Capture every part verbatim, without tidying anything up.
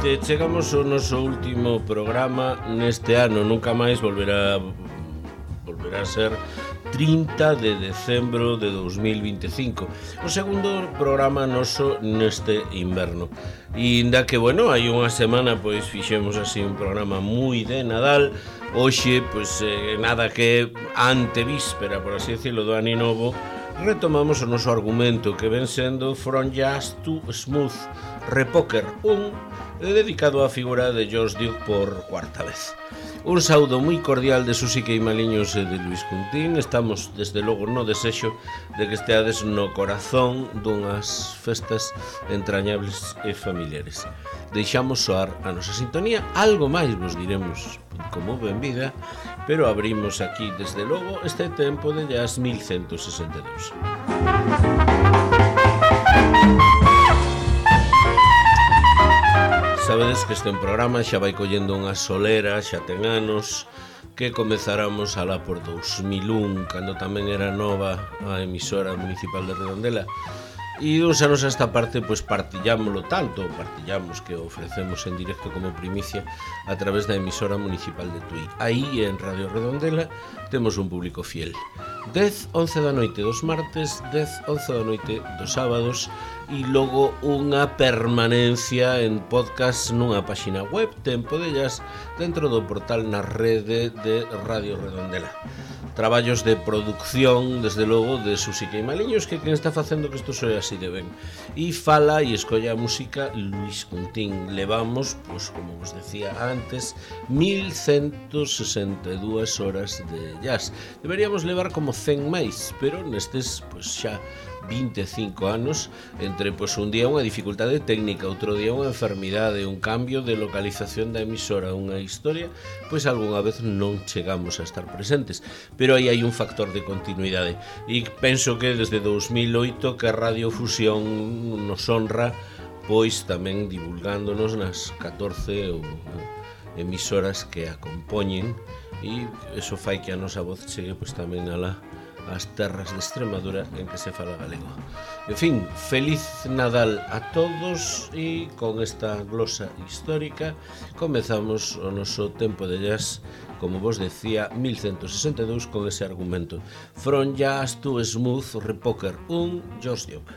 noite, chegamos ao noso último programa neste ano, nunca máis volverá volverá a ser trinta de decembro de dos mil vinte e cinco, o segundo programa noso neste inverno. E inda que, bueno, hai unha semana pois fixemos así un programa moi de Nadal. Hoxe, pois, eh, nada que antevíspera, por así decirlo, do Ano Novo, retomamos o noso argumento que ven sendo From Jazz to Smooth Repoker un, dedicado á figura de George Duke por cuarta vez. Un saúdo moi cordial de Susi Queimaliños e de Luis Cuntín. Estamos, desde logo, no desexo de que esteades no corazón dunhas festas entrañables e familiares. Deixamos soar a nosa sintonía, algo máis vos diremos como benvida, pero abrimos aquí, desde logo, este tempo de jazz mil ciento sesenta e dous. Sabedes que este programa xa vai collendo unha solera, xa ten anos, que comezáramos alá por dous mil un, cando tamén era nova a emisora municipal de Redondela. E uns anos a esta parte, pois partillámoslo tanto, partillamos que ofrecemos en directo como primicia a través da emisora municipal de Tui. Aí, en Radio Redondela, temos un público fiel. dez, once da noite dos martes, dez, once da noite dos sábados, e logo unha permanencia en podcast nunha páxina web, Tempo de Jazz, dentro do portal na rede de Radio Redondela. Traballos de producción, desde logo, de Susi Queimaliños, que quen está facendo que isto soe así de ben. E fala e escolla a música Luis Cuntín. Levamos, pois, como vos decía antes, mil ciento sesenta e dúas horas de jazz. Deberíamos levar como cen máis, pero nestes, pois, xa vinte e cinco anos, entre pois un día unha dificultade técnica, outro día unha enfermidade, un cambio de localización da emisora, unha historia, pois algunha vez non chegamos a estar presentes, pero aí hai un factor de continuidade, e penso que desde dous mil oito que a Radio Fusión nos honra, pois tamén divulgándonos nas catorce ou emisoras que a compoñen, e eso fai que a nosa voz chegue pois tamén alá as terras de Extremadura en que se fala galego. En fin, feliz Nadal a todos, e con esta glosa histórica comezamos o noso tempo de jazz, como vos decía, mil ciento sesenta e dous, con ese argumento From Jazz to Smooth Repoker un, George Duke.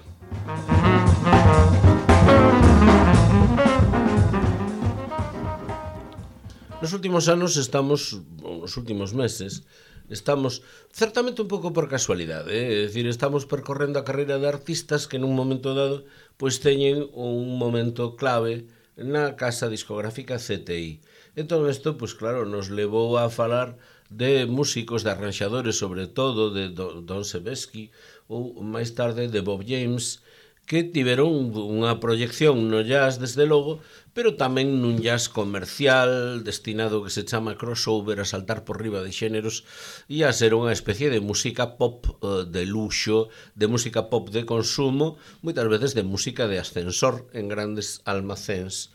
Nos últimos anos estamos, nos últimos meses, estamos certamente un pouco por casualidade, eh? É dicir, estamos percorrendo a carreira de artistas que nun momento dado pois teñen un momento clave na casa discográfica C T I. Entón isto, pois claro, nos levou a falar de músicos, de arranxadores, sobre todo de Don Sebesky ou máis tarde de Bob James, que tiveron unha proyección no jazz, desde logo, pero tamén nun jazz comercial, destinado que se chama crossover, a saltar por riba de xéneros, e a ser unha especie de música pop uh, de luxo, de música pop de consumo, moitas veces de música de ascensor en grandes almacéns.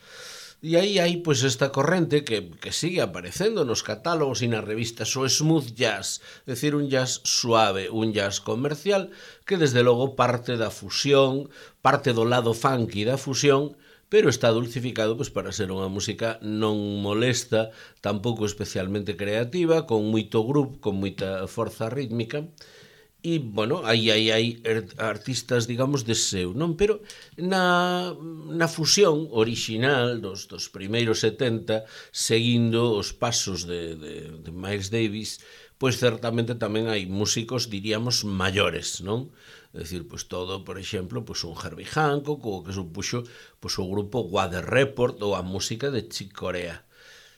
E aí hai pois esta corrente que, que sigue aparecendo nos catálogos e nas revistas, o smooth jazz, é dicir, un jazz suave, un jazz comercial, que desde logo parte da fusión, parte do lado funky da fusión, pero está dulcificado pois para ser unha música non molesta, tampouco especialmente creativa, con moito groove, con moita forza rítmica. E, bueno, aí hai, hai artistas, digamos, de seu, non? Pero na, na fusión orixinal dos, dos primeiros setenta, seguindo os pasos de, de, de Miles Davis, pois certamente tamén hai músicos, diríamos, maiores, non? É dicir, pois todo, por exemplo, pois un Herbie Hancock, ou que supuxo pois o grupo Weather Report, ou a música de Chick Corea.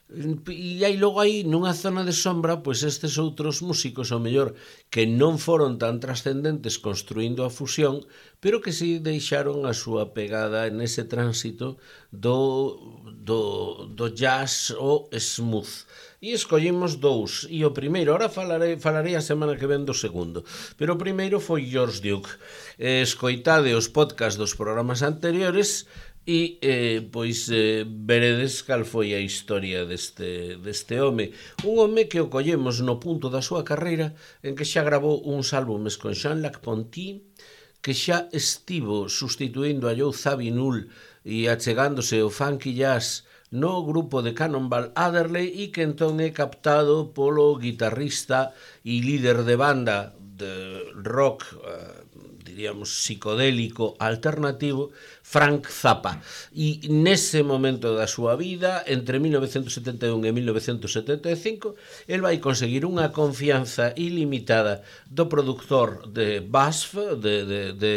E aí logo aí nunha zona de sombra pois estes outros músicos ao mellor que non foron tan trascendentes construindo a fusión, pero que si deixaron a súa pegada nese tránsito do, do, do jazz ou smooth. E escollimos dous, e o primeiro, ahora falarei, falarei a semana que ven do segundo, pero o primeiro foi George Duke. Escoitade os podcasts dos programas anteriores e eh, pois eh, veredes cal foi a historia deste, deste home. Un home que o collemos no punto da súa carreira en que xa gravou uns álbumes con Jean-Luc Ponty, que xa estivo sustituindo a Joe Zawinul e achegándose o funky jazz no grupo de Cannonball Adderley e que entón é captado polo guitarrista e líder de banda de rock, uh, diríamos, psicodélico alternativo, Frank Zappa. E nese momento da súa vida, entre mil novecentos setenta e un e mil novecentos setenta e cinco, el vai conseguir unha confianza ilimitada do productor de B A S F, de, de, de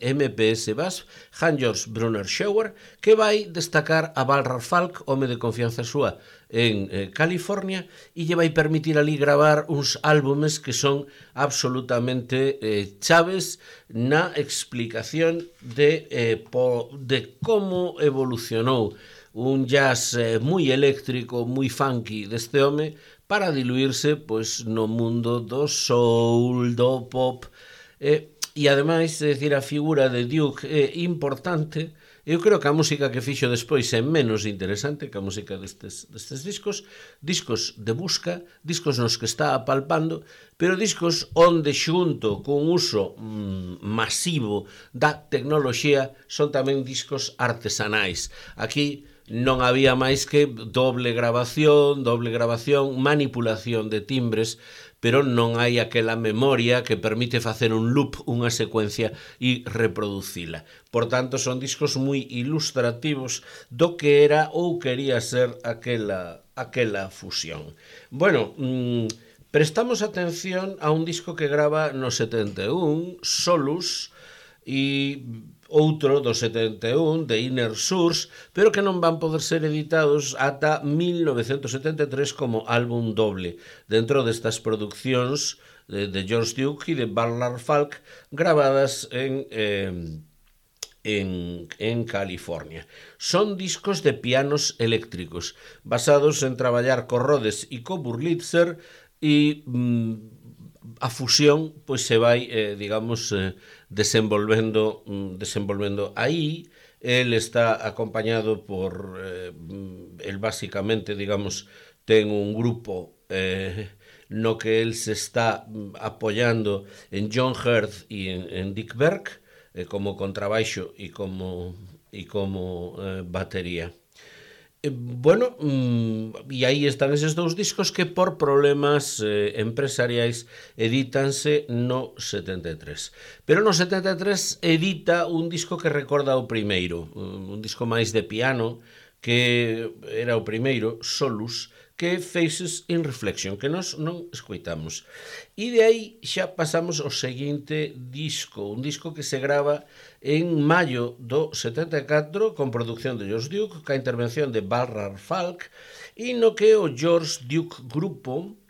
M P S B A S F, Hans-Georg Brunner Schauer, que vai destacar a Balrar Falk, home de confianza súa, en eh, California, e lle vai permitir ali gravar uns álbumes que son absolutamente eh, chaves na explicación de, eh, po, de como evolucionou un jazz eh, moi eléctrico, moi funky deste home para diluirse pois, no mundo do soul, do pop, eh, e ademais, é dicir, a figura de Duke é importante. Eu creo que a música que fixo despois é menos interesante que a música destes, destes discos, discos de busca, discos nos que está apalpando, pero discos onde xunto con uso mm, masivo da tecnoloxía son tamén discos artesanais. Aquí non había máis que doble grabación, doble grabación, manipulación de timbres, pero non hai aquela memoria que permite facer un loop, unha secuencia e reproducila. Por tanto, son discos moi ilustrativos do que era ou quería ser aquela, aquela fusión. Bueno, mmm, prestamos atención a un disco que grava no setenta e un, Solus, e outro do setenta e un, de Inner Source, pero que non van poder ser editados ata mil novecentos setenta e tres como álbum doble, dentro destas produccións de, de George Duke e de Balrar Falk, gravadas en, eh, en, en California. Son discos de pianos eléctricos, basados en traballar co Rhodes e co Wurlitzer, e mm, a fusión pois se vai, eh, digamos, eh, desenvolvendo, desenvolvendo aí. El está acompañado por, eh, el básicamente, digamos, ten un grupo eh, no que el se está apoyando en John Hurt e en, en Dick Berg, eh, como contrabaixo e como, e como eh, batería. Bueno, e aí están eses dous discos que por problemas eh, empresariais edítanse no setenta e tres. Pero no setenta e tres edita un disco que recorda o primeiro, un disco máis de piano, que era o primeiro, Solus, que Faces in Reflection, que nós non escoitamos. E de aí xa pasamos ao seguinte disco, un disco que se grava en maio do setenta e catro, con produción de George Duke, ca intervención de Balrar Falk, e no que o George Duke Grupo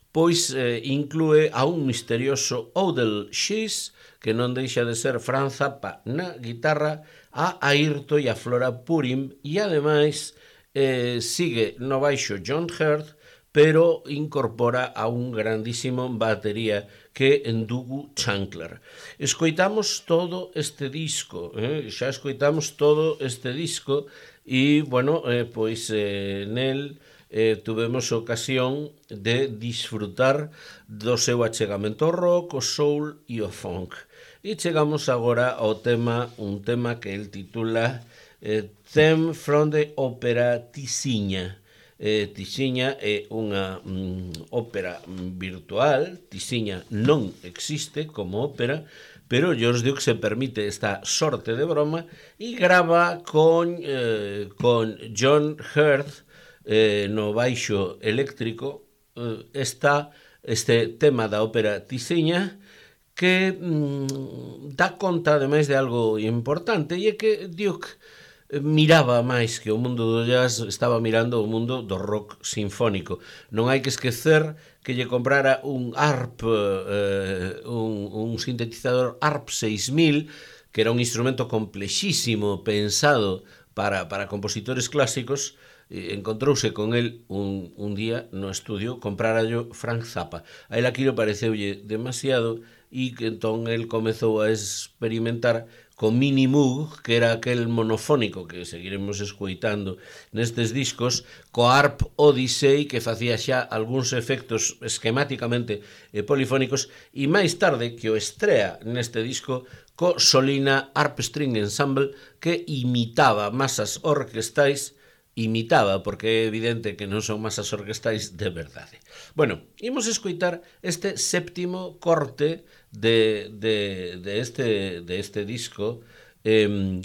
pois eh, inclúe a un misterioso Odell Shees, que non deixa de ser Frank Zappa na guitarra, a Airto e a Flora Purim, e ademais eh, sigue no baixo John Hurt, pero incorpora a un grandísimo batería que é Ndugu Chancler. Escoitamos todo este disco, eh? xa escoitamos todo este disco e, bueno, eh, pois eh, nel eh, tuvemos ocasión de disfrutar do seu achegamento ao rock, o soul e o funk. E chegamos agora ao tema, un tema que el titula eh, Theme from the Opera Tisiña. Eh, Tisiña é unha mm, ópera virtual, Tisiña non existe como ópera, pero George Duke se permite esta sorte de broma e grava con, eh, con John Hurt eh, no baixo eléctrico eh, esta, este tema da ópera Tisiña, que mm, dá conta ademais de algo importante, e é que Duke miraba máis que o mundo do jazz, estaba mirando o mundo do rock sinfónico. Non hai que esquecer que lle comprara un harp, eh, un, un sintetizador harp seis mil, que era un instrumento complexísimo pensado para, para compositores clásicos. Encontrouse con el un, un día no estudio, comprarallo Frank Zappa. A él aquilo pareceulle demasiado e que entón el comezou a experimentar con Mini Moog, que era aquel monofónico que seguiremos escoitando nestes discos, co Harp Odyssey, que facía xa algúns efectos esquemáticamente eh, polifónicos, e máis tarde que o estrea neste disco co Solina Harp String Ensemble, que imitaba masas orquestais, imitaba, porque é evidente que non son masas orquestais de verdade. Bueno, imos escoitar este séptimo corte de, de, de, este, de este disco, eh,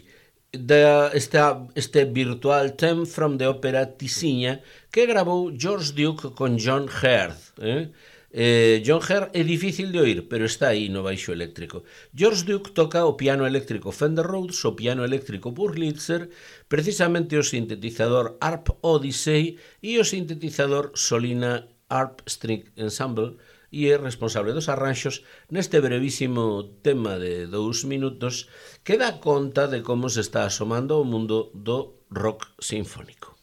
de este, este virtual theme from the ópera Tisiña, que grabou George Duke con John Heard. Eh? Eh, John Heard é difícil de oír, pero está aí no baixo eléctrico. George Duke toca o piano eléctrico Fender Rhodes, o piano eléctrico Wurlitzer, precisamente o sintetizador Harp Odyssey e o sintetizador Solina Harp String Ensemble, e é responsable dos arranxos neste brevísimo tema de dous minutos que dá conta de como se está asomando o mundo do rock sinfónico.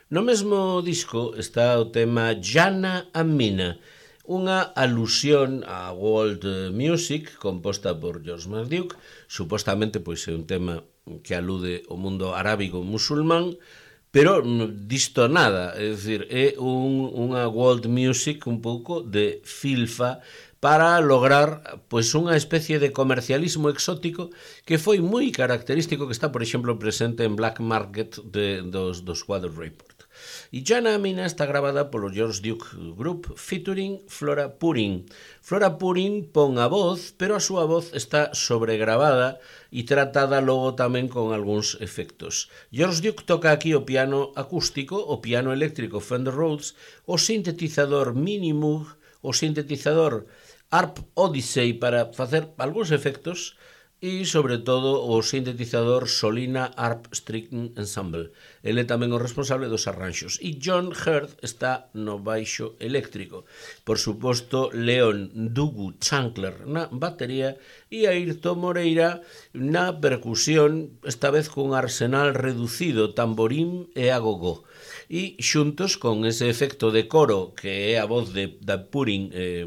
No mesmo disco está o tema Jana and Mina, unha alusión á world music composta por George McDuke. Supostamente pois é un tema que alude ao mundo arábigo musulmán, pero disto nada, é dicir, é un, unha world music un pouco de filfa para lograr pois unha especie de comercialismo exótico que foi moi característico, que está, por exemplo, presente en Black Market de, dos, dos Weather Report. E Jana and Mina está grabada polo George Duke Group featuring Flora Purin. Flora Purin pon a voz, pero a súa voz está sobregrabada e tratada logo tamén con algúns efectos. George Duke toca aquí o piano acústico, o piano eléctrico Fender Rhodes, o sintetizador Mini Moog, o sintetizador Harp Odyssey para facer algúns efectos e, sobre todo, o sintetizador Solina Harp String Ensemble. Ele é tamén o responsable dos arranxos. E John Heard está no baixo eléctrico. Por suposto, Leon Dugu Chancler na batería e Ayrton Moreira na percusión, esta vez cun arsenal reducido, tamborín e agogó. E xuntos con ese efecto de coro que é a voz de, de Purin eh,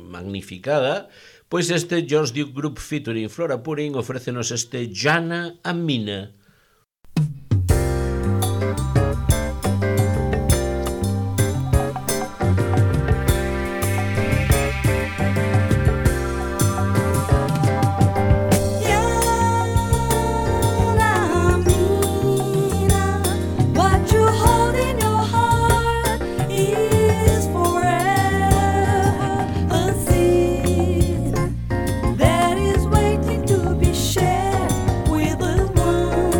magnificada, pois este George Duke Group featuring Flora Purin ofrécenos este Jana and Mina. That is waiting to be shared with the one.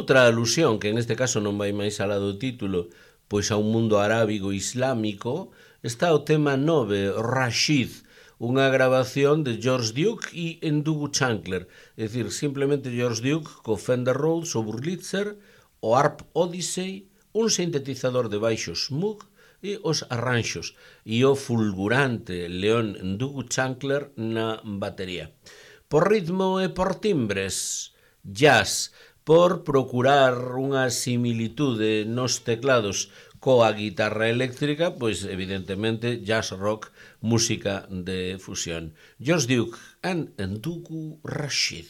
outra alusión, que neste caso non vai máis alá do título, pois a un mundo arábigo islámico, está o tema nove, Rashid, unha grabación de George Duke e Ndugu Chancler, é dicir, simplemente George Duke co Fender Rhodes, o Wurlitzer, o Harp Odyssey, un sintetizador de baixos Moog e os arranxos, e o fulgurante Leon Ndugu Chancler na batería. Por ritmo e por timbres, jazz, por procurar unha similitude nos teclados coa guitarra eléctrica, pois evidentemente jazz rock, música de fusión. George Duke and Ndugu Rashid.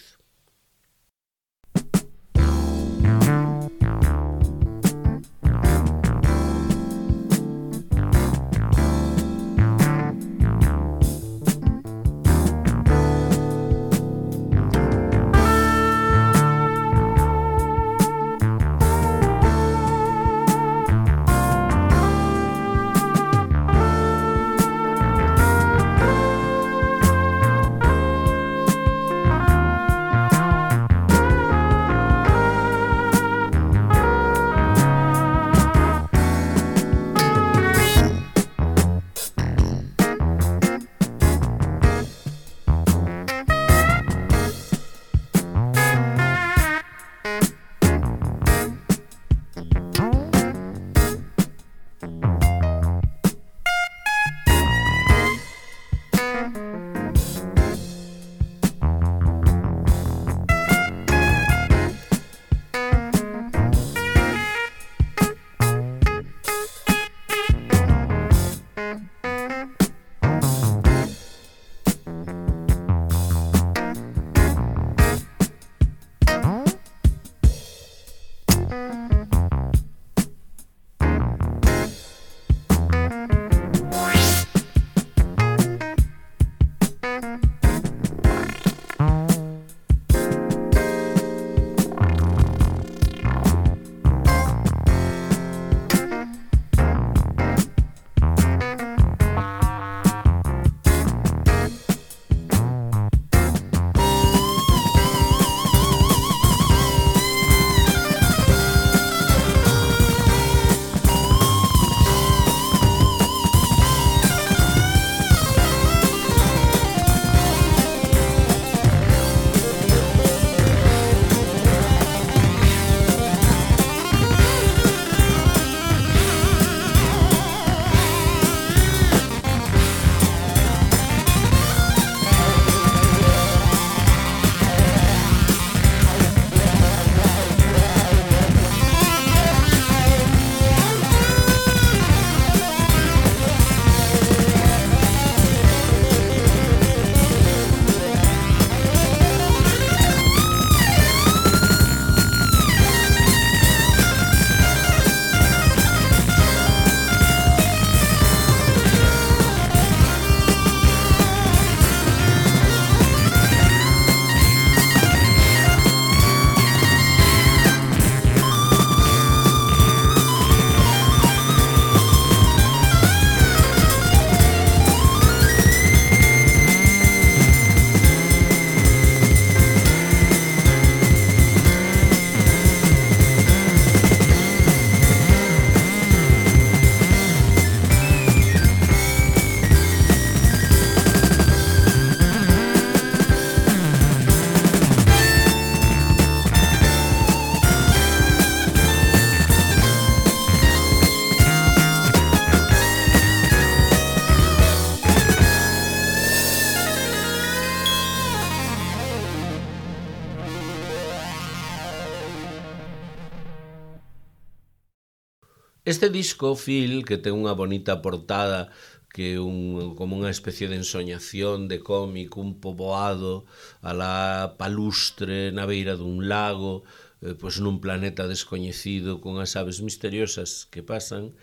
Este disco, Phil, que ten unha bonita portada, que é un, como unha especie de ensoñación de cómic, un poboado a la palustre na beira dun lago, eh, pois nun planeta descoñecido con as aves misteriosas que pasan,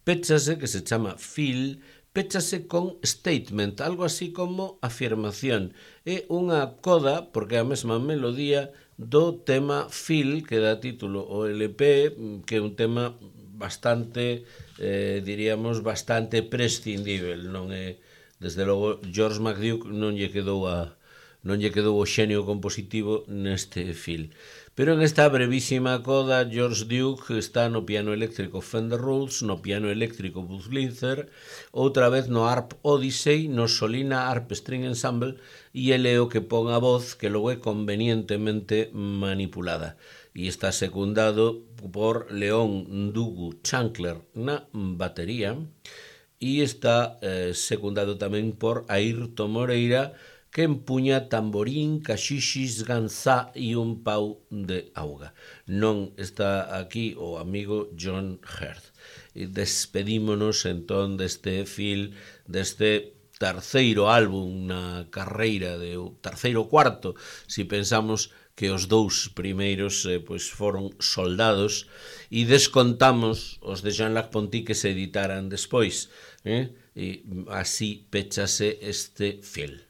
péchase, que se chama Phil, péchase con statement, algo así como afirmación. É unha coda, porque é a mesma melodía do tema Phil, que dá título ao L P, que é un tema bastante, eh, diríamos, bastante prescindível, non é, desde logo, George McDuke non lle quedou a non lle quedou o xenio compositivo neste Phil. Pero en esta brevísima coda, George Duke está no piano eléctrico Fender Rhodes, no piano eléctrico Buzz Linzer, outra vez no Harp Odyssey, no Solina Harp String Ensemble, e ele o que pon a voz que logo é convenientemente manipulada. E está secundado por León Ndugu Chancler na batería, e está eh, secundado tamén por Ayrton Moreira, que empuña tamborín, caxixis, ganzá e un pau de auga. Non está aquí o amigo John Hurt. E despedímonos entón deste fil, deste terceiro álbum na carreira, de terceiro cuarto, si pensamos que os dous primeiros eh, pois foron soldados, e descontamos os de Jean-Luc Ponty que se editaran despois. Eh? E así pechase este fil.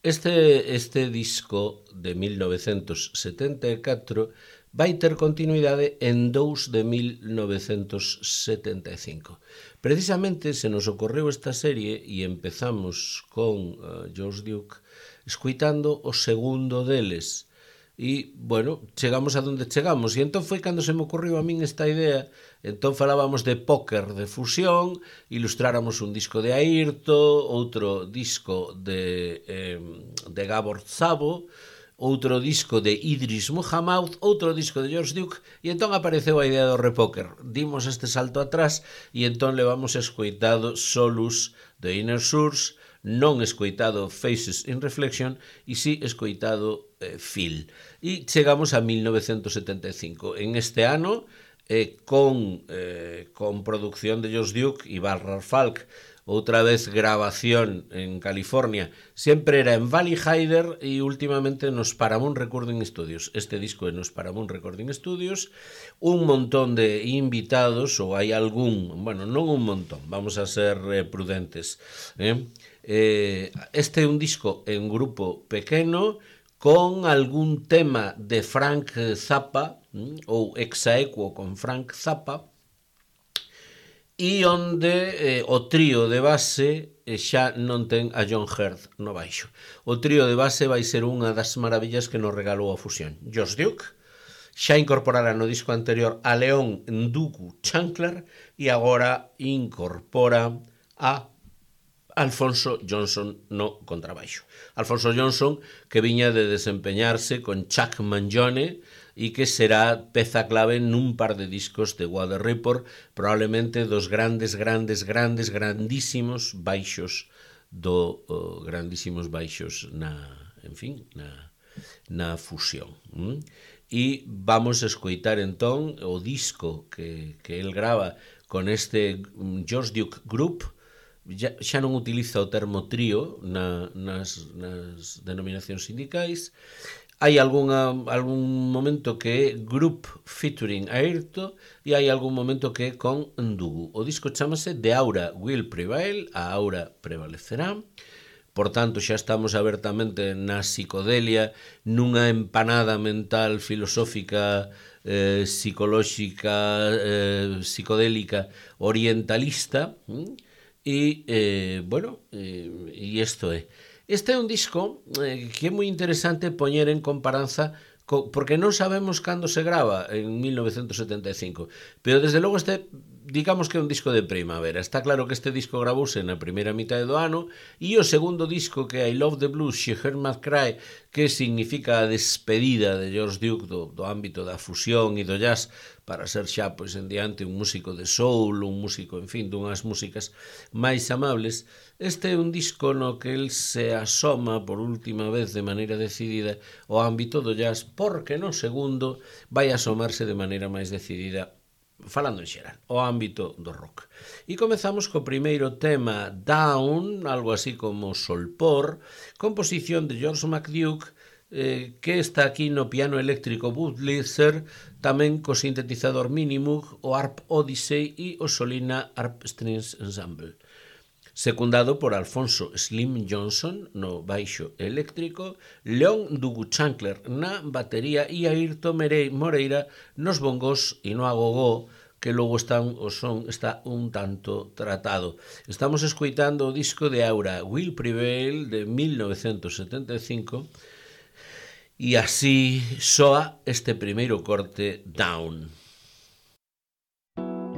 Este, este disco de mil novecentos setenta e catro vai ter continuidade en dous de mil novecentos setenta e cinco. Precisamente se nos ocorreu esta serie e empezamos con uh, George Duke escuitando o segundo deles. E, bueno, chegamos a donde chegamos. E entón foi cando se me ocorreu a min esta idea. Entón falábamos de póker de fusión, ilustráramos un disco de Airto, outro disco de, eh, de Gabor Szabo, outro disco de Idris Muhammad, outro disco de George Duke, e entón apareceu a idea do repóker. Dimos este salto atrás e entón levamos escoitado Solus de Inner Source, non escoitado Faces in Reflection e si escoitado eh, Phil. E chegamos a mil novecentos setenta e cinco. En este ano, eh, con, eh, con producción de George Duke e Barbara Falk, outra vez grabación en California, sempre era en Valley Hyder e últimamente nos Paramount Recording Studios. Este disco é nos Paramount Recording Studios, un montón de invitados, ou hai algún, bueno, non un montón, vamos a ser eh, prudentes, eh? Eh, este é un disco en grupo pequeno con algún tema de Frank Zappa ou exaequo con Frank Zappa, e onde eh, o trío de base eh, xa non ten a John Hurt no baixo. O trío de base vai ser unha das maravillas que nos regalou a fusión. George Duke xa incorporara no disco anterior a León Ndugu Chancler e agora incorpora a Alfonso Johnson no contrabaixo. Alfonso Johnson, que viña de desempeñarse con Chuck Mangione e que será peza clave nun par de discos de Water Report, probablemente dos grandes, grandes, grandes, grandísimos baixos do oh, grandísimos baixos na, en fin, na, na fusión. ¿Mm? E vamos a escoitar entón o disco que, que el grava con este George Duke Group. Ya, xa non utiliza o termo trío na, nas, nas denominacións sindicais. Hai algunha, algún momento que é group featuring Airto e hai algún momento que é con Ndugu. O disco chamase The Aura Will Prevail, a aura prevalecerá. Por tanto, xa estamos abertamente na psicodelia, nunha empanada mental filosófica, eh, psicolóxica, eh, psicodélica, orientalista. ¿Mm? E, eh, bueno, eh, e isto é. Este é un disco eh, que é moi interesante poñer en comparanza porque non sabemos cando se grava en mil novecentos setenta e cinco, pero desde logo este, digamos que é un disco de primavera. Está claro que este disco gravouse na primeira mitad do ano, e o segundo disco, que é I Love the Blues, She Heard My Cry, que significa a despedida de George Duke do, do ámbito da fusión e do jazz, para ser xa, pois, en diante un músico de soul, un músico, en fin, dunhas músicas máis amables. Este é un disco no que el se asoma por última vez de maneira decidida ao ámbito do jazz, porque no segundo vai asomarse de maneira máis decidida, falando en xeral, ao ámbito do rock. E comezamos co primeiro tema, Down, algo así como Solpor, composición de George McDuke, eh, que está aquí no piano eléctrico Bud Lizer, tamén co sintetizador Minimoog, o Harp Odyssey e o Solina Harp Strings Ensemble. Secundado por Alfonso Slim Johnson no baixo eléctrico, León Duguchancler na batería e Ayrton Moreira nos bongos e no agogó, que logo están, o son está un tanto tratado. Estamos escoitando o disco de Aura, Will Prevail, de mil novecentos setenta e cinco, e así soa este primeiro corte, Down. Thank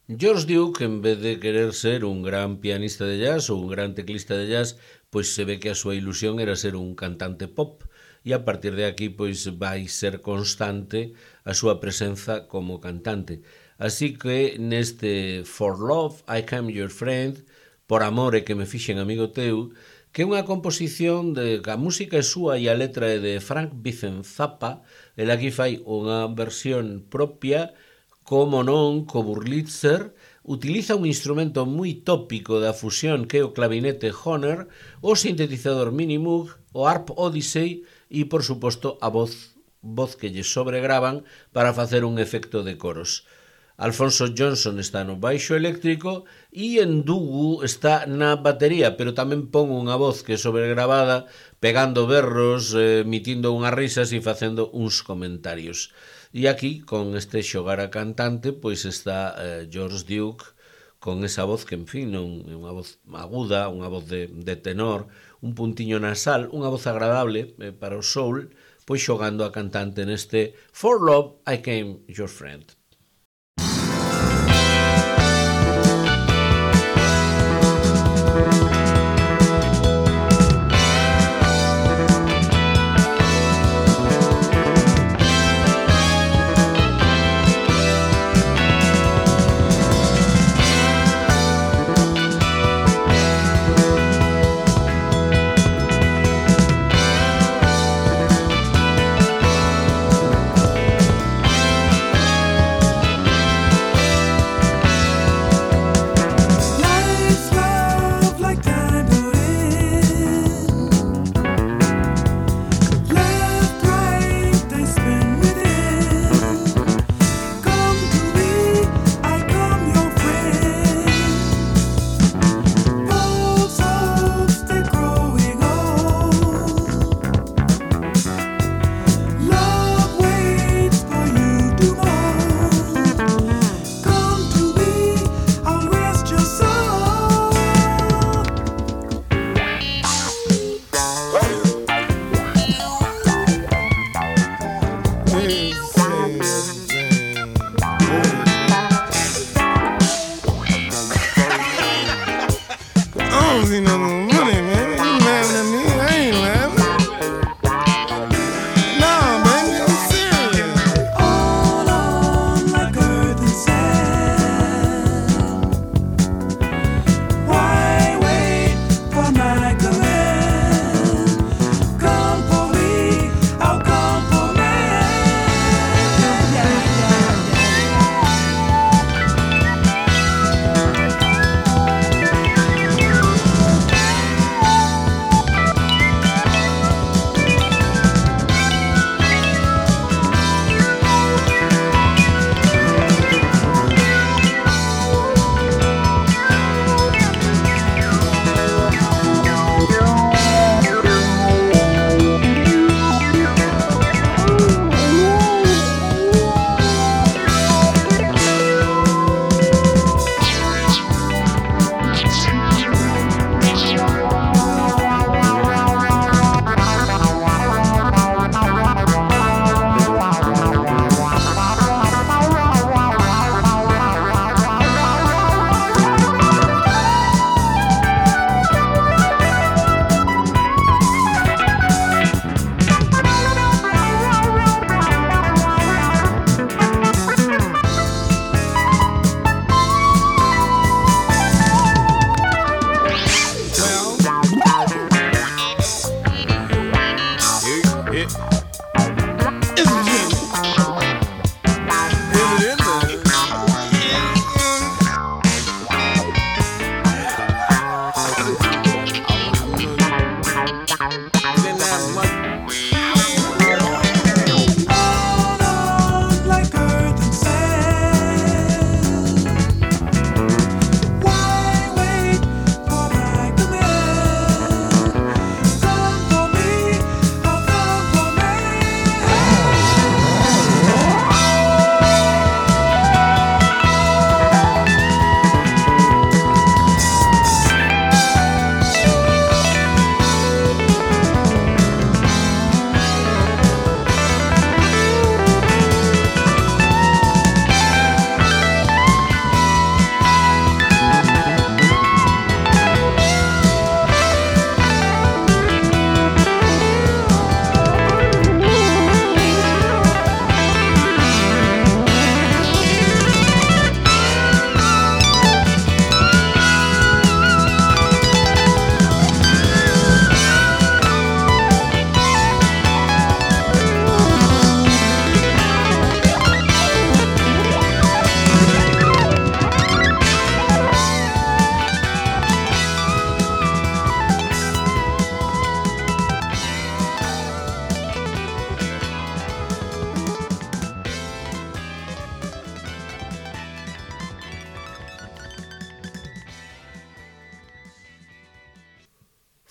George Duke, en vez de querer ser un gran pianista de jazz ou un gran teclista de jazz, pois se ve que a súa ilusión era ser un cantante pop, e a partir de aquí pois vai ser constante a súa presenza como cantante. Así que neste For Love I Am Your Friend, por amor e que me fixen amigo teu, que é unha composición de que a música é súa e a letra é de Frank Vicen Zappa, el aquí fai unha versión propia, como non, co Wurlitzer, utiliza un instrumento moi tópico da fusión que é o clavinete Hohner, o sintetizador Minimoog, o Harp Odyssey e, por suposto, a voz, voz que lle sobregravan para facer un efecto de coros. Alfonso Johnson está no baixo eléctrico e Ndugu está na batería, pero tamén pon unha voz que é sobregravada, pegando berros, eh, emitindo unhas risas e facendo uns comentarios. E aquí, con este xogar a cantante, pois está eh, George Duke con esa voz que, en fin, non é unha voz aguda, unha voz de, de tenor, un puntiño nasal, unha voz agradable eh, para o soul, pois xogando a cantante neste For Love I Am Your Friend.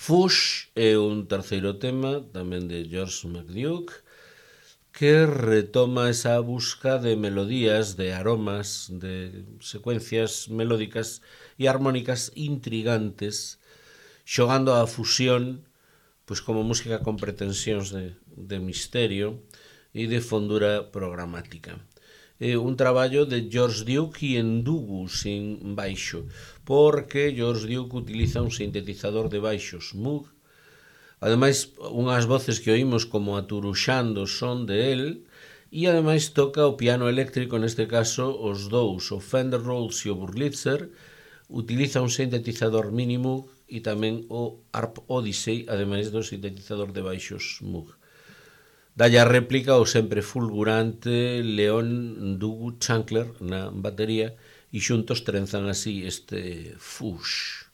Fush é un terceiro tema, tamén de George McDuke, que retoma esa busca de melodías, de aromas, de secuencias melódicas e armónicas intrigantes, xogando a fusión pois como música con pretensións de, de misterio e de fondura programática. É un traballo de George Duke e Ndugu sin baixo, porque George Duke utiliza un sintetizador de baixos Moog. Ademais, unhas voces que oímos como aturuxando son de él, e ademais toca o piano eléctrico, neste caso os dous, o Fender Rhodes e o Wurlitzer, utiliza un sintetizador mini Moog e tamén o Harp Odyssey, ademais do sintetizador de baixos Moog. Dalle a réplica o sempre fulgurante Leon Ndugu Chancler na batería e xuntos trenzan así este Fush.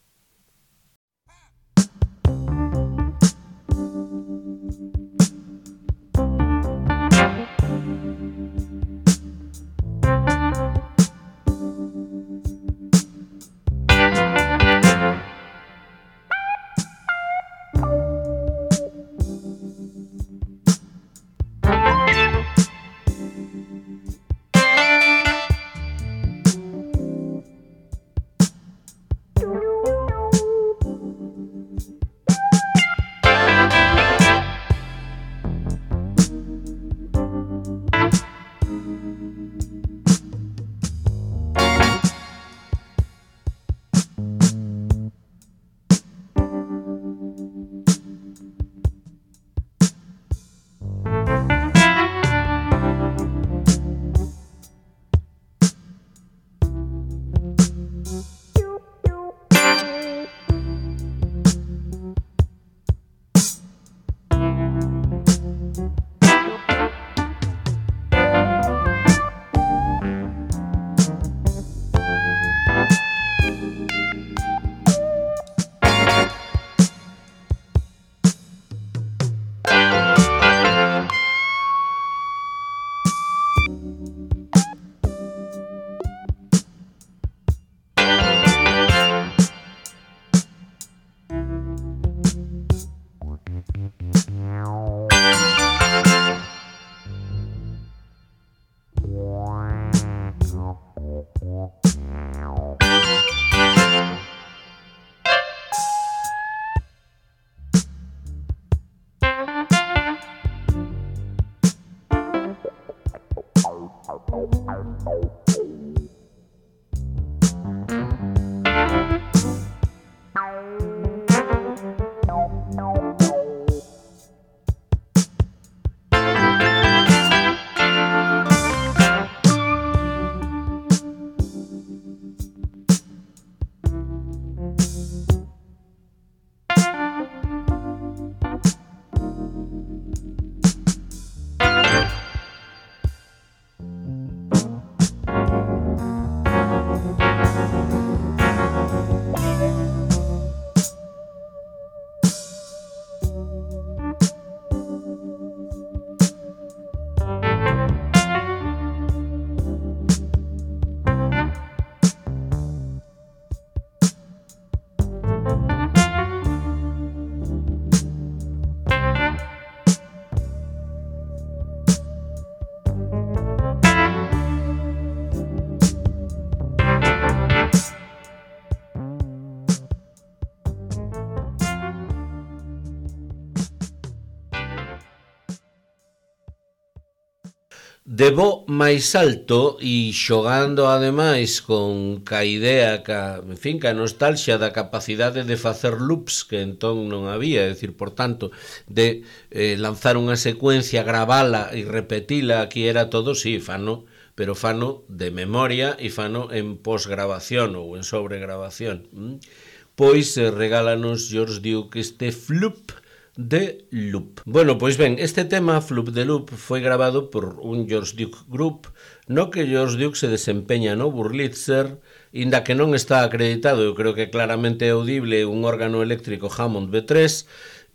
De bo máis alto e xogando ademais con ca idea, ca, en fin, ca nostalgia da capacidade de facer loops que entón non había, é dicir, por tanto, de eh, lanzar unha secuencia, gravala e repetila, aquí era todo, sí, fano, pero fano de memoria e fano en posgrabación ou en sobregrabación. ¿Mm? Pois eh, regálanos George Duke este Floop de Loop. Bueno, pois ben, este tema, Floop de Loop, foi grabado por un George Duke Group, no que George Duke se desempeña no Wurlitzer, inda que non está acreditado, eu creo que claramente é audible, un órgano eléctrico Hammond B tres,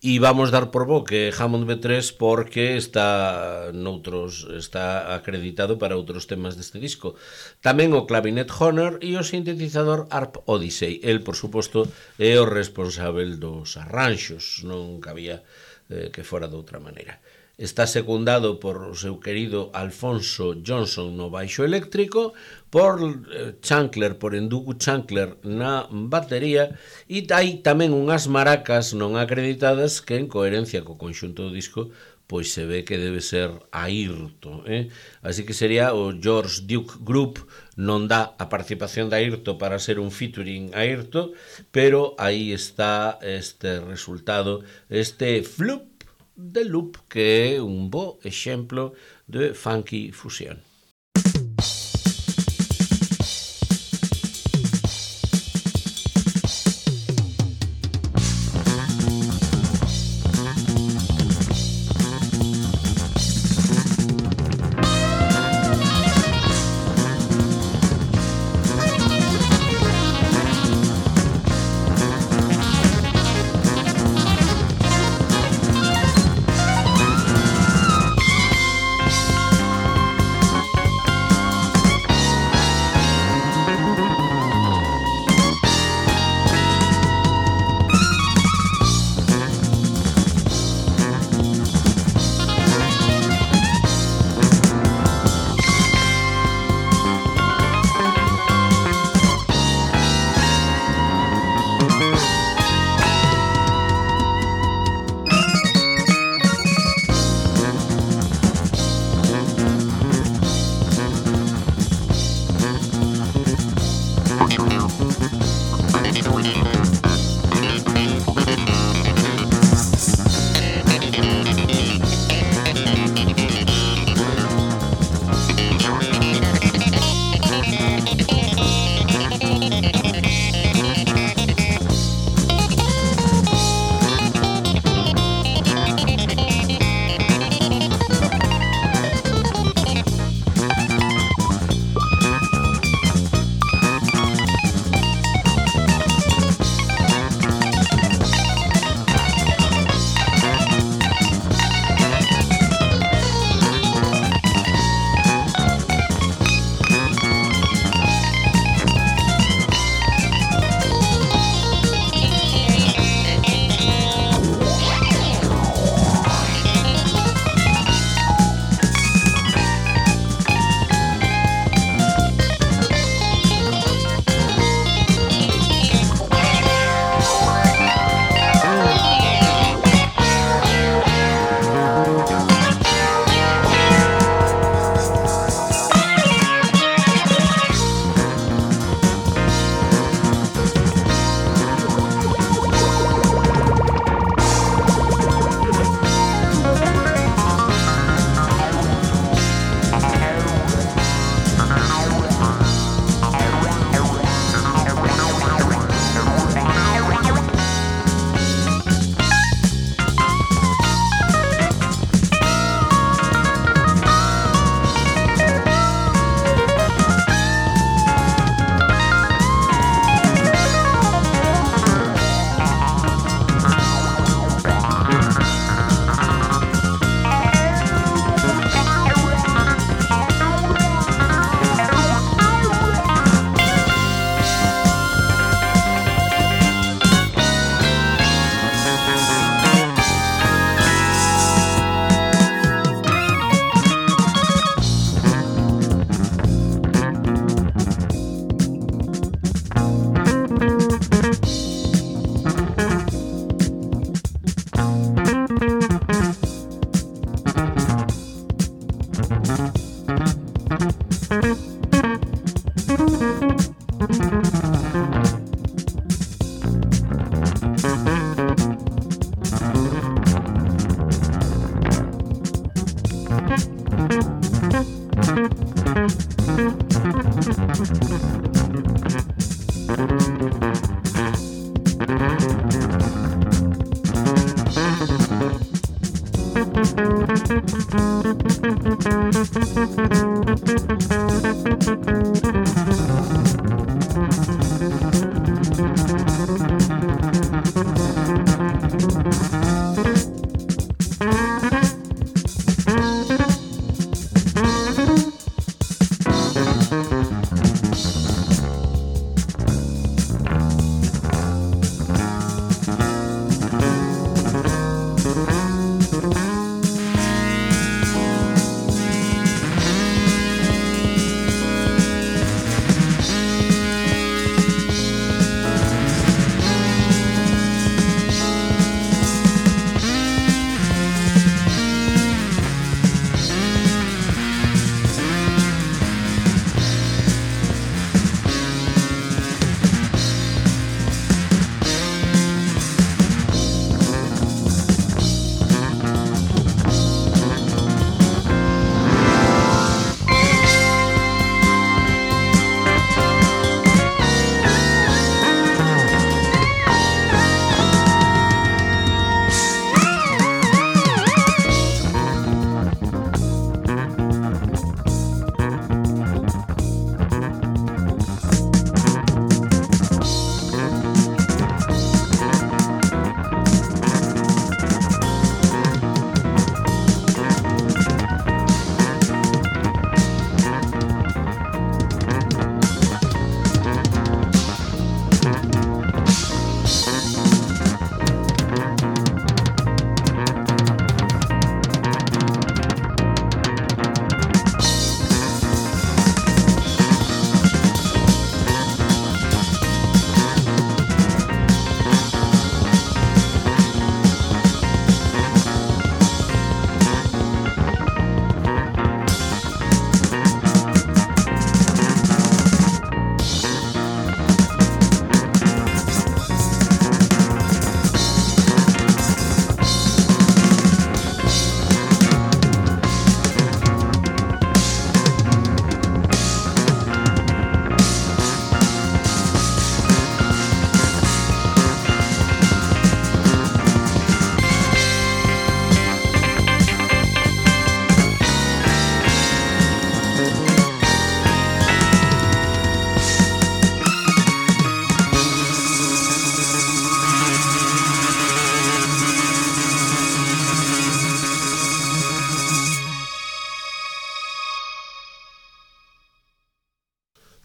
e vamos dar por bo que Hammond B tres porque está noutros, está acreditado para outros temas deste disco. Tamén o clavinet Honor e o sintetizador Harp Odyssey. El, por suposto, é o responsável dos arranxos, non cabía eh, que fora de outra maneira. Está secundado por o seu querido Alfonso Johnson no baixo eléctrico, por eh, Chancler, por Endugu Chancler na batería, e hai tamén unhas maracas non acreditadas que en coherencia co conxunto do disco pois se ve que debe ser Airto, eh? Así que sería o George Duke Group, non dá a participación de Airto para ser un featuring Airto, pero aí está este resultado, este flup de loop, que é un bo exemplo de funky fusión.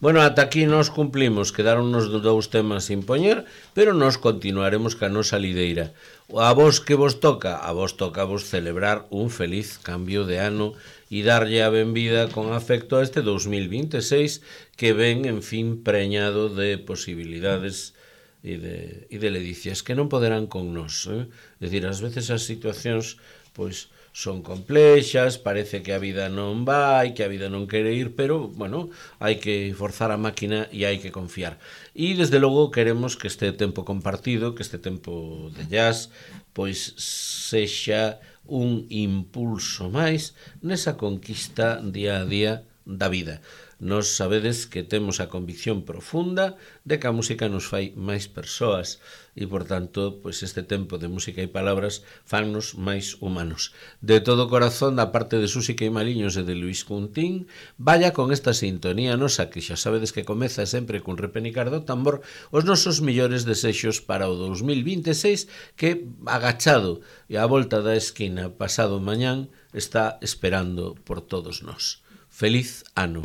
Bueno, ata aquí nos cumplimos, quedaronnos dous temas sin poñer, pero nos continuaremos ca nosa lideira. A vos que vos toca, a vos toca vos celebrar un feliz cambio de ano e darlle a benvida con afecto a este dous mil vinte e seis que ven, en fin, preñado de posibilidades e de, e de ledicias que non poderán con nós. Eh? É dicir, ás veces as situacións, pois, son complexas, parece que a vida non vai, que a vida non quere ir, pero, bueno, hai que forzar a máquina e hai que confiar. E, desde logo, queremos que este tempo compartido, que este tempo de jazz, pois sexa un impulso máis nesa conquista día a día da vida. Nos sabedes que temos a convicción profunda de que a música nos fai máis persoas e, por tanto, pois este tempo de música e palabras fannos máis humanos. De todo corazón, da parte de Susi Queimaliños e de Luis Cuntín, vaya con esta sintonía nosa que xa sabedes que comeza sempre cun repenicar do tambor os nosos millores desexos para o dous mil vinte e seis que, agachado e á volta da esquina pasado mañán, está esperando por todos nós. Feliz ano.